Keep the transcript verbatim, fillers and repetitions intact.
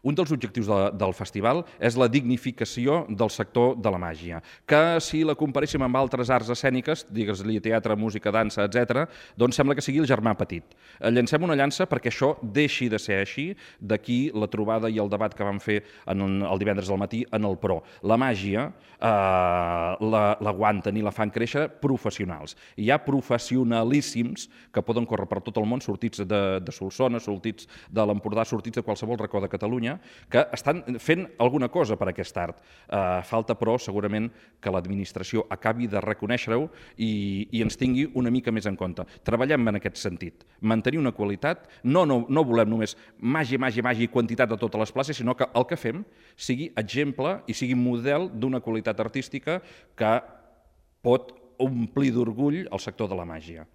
Un dels objectius de, del festival és la dignificació del sector de la màgia, que si la comparéssim amb altres arts escèniques, digues-li teatre, música, dansa, etcètera, doncs sembla que sigui el germà petit. Llancem una llança perquè això deixi de ser així, d'aquí la trobada i el debat que vam fer en el divendres al matí en el Pro. La màgia eh, l'aguanten i la fan créixer professionals. Hi ha professionalíssims que poden córrer per tot el món, sortits de, de Solsona, sortits de l'Empordà, sortits de qualsevol racó de Catalunya, que estan fent alguna cosa per aquest art. Eh, falta, però, segurament, que l'administració acabi de reconèixer-ho i, i ens tingui una mica més en compte. Treballem en aquest sentit. Mantenir una qualitat, no, no, no volem només màgia, màgia, màgia i quantitat de totes les places, sinó que el que fem sigui exemple i sigui model d'una qualitat artística que pot omplir d'orgull el sector de la màgia.